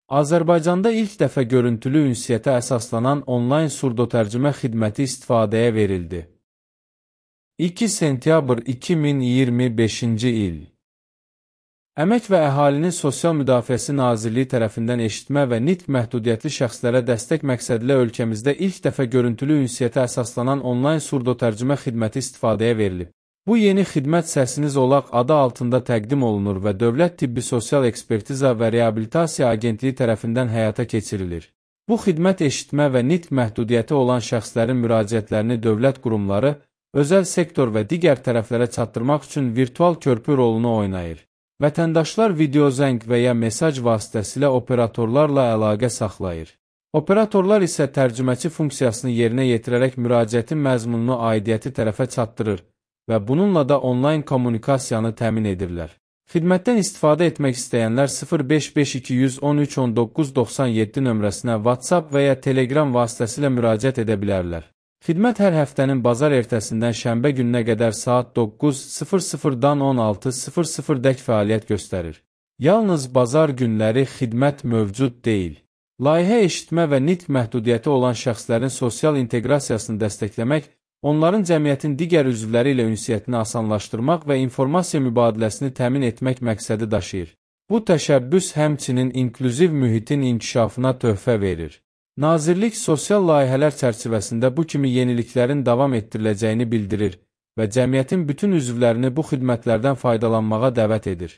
Azərbaycanda ilk dəfə görüntülü ünsiyyətə əsaslanan onlayn surdotərcümə xidməti istifadəyə verildi. 2 sentyabr 2025-ci il. Əmək və Əhalinin Sosial Müdafiəsi Nazirliyi tərəfindən eşitmə və nitq məhdudiyyətli şəxslərə dəstək məqsədilə ölkəmizdə ilk dəfə görüntülü ünsiyyətə əsaslanan onlayn surdotərcümə xidməti istifadəyə verilib. Bu yeni xidmət Səsiniz Olaq adı altında təqdim olunur və Dövlət Tibbi Sosial Ekspertiza və Reabilitasiya Agentliyi tərəfindən həyata keçirilir. Bu xidmət eşitmə və nitq məhdudiyyəti olan şəxslərin müraciətlərini dövlət qurumları, özəl sektor və digər tərəflərə çatdırmaq üçün virtual körpü rolunu oynayır. Vətəndaşlar videozəng və ya mesaj vasitəsilə operatorlarla əlaqə saxlayır. Operatorlar isə tərcüməçi funksiyasını yerinə yetirərək müraciətin məzmununu aidiyyəti tərəfə çatdırır və bununla da onlayn kommunikasiyanı təmin edirlər. Xidmətdən istifadə etmək istəyənlər 0552131997 nömrəsinə WhatsApp və ya Telegram vasitəsilə müraciət edə bilərlər. Xidmət hər həftənin bazar ertəsindən şənbə gününə qədər saat 9:00-dan 16:00-dək fəaliyyət göstərir. Yalnız bazar günləri xidmət mövcud deyil. Layihə eşitmə və nitq məhdudiyyəti olan şəxslərin sosial inteqrasiyasını dəstəkləmək, onların cəmiyyətin digər üzvləri ilə ünsiyyətini asanlaşdırmaq və informasiya mübadiləsini təmin etmək məqsədi daşıyır. Bu təşəbbüs həmçinin inklüziv mühitin inkişafına töhfə verir. Nazirlik sosial layihələr çərçivəsində bu kimi yeniliklərin davam etdiriləcəyini bildirir və cəmiyyətin bütün üzvlərini bu xidmətlərdən faydalanmağa dəvət edir.